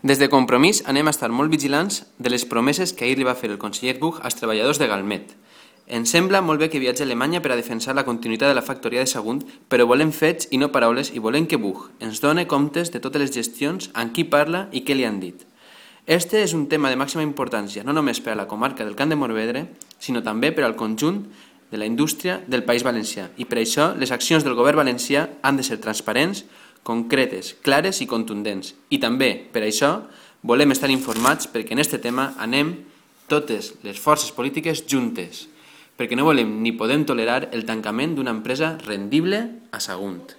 Des de Compromís anem a estar molt vigilants de les promeses que ahir li va fer el conseller Buch als treballadors de Galmet. Ens sembla molt bé que viatgi a Alemanya per a defensar la continuïtat de la factoria de Sagunt, però volem fets i no paraules i volem que Buch ens doni comptes de totes les gestions, amb qui parla i què li han dit. Este és un tema de màxima importància, no només per a la comarca del Camp de Morvedre, sinó també per al conjunt de la indústria del País Valencià. I per això les accions del govern valencià han de ser transparents, concretes, clares i contundents. I també, per això, volem estar informats perquè en aquest tema anem totes les forces polítiques juntes, perquè no volem ni podem tolerar el tancament d'una empresa rendible a Sagunt.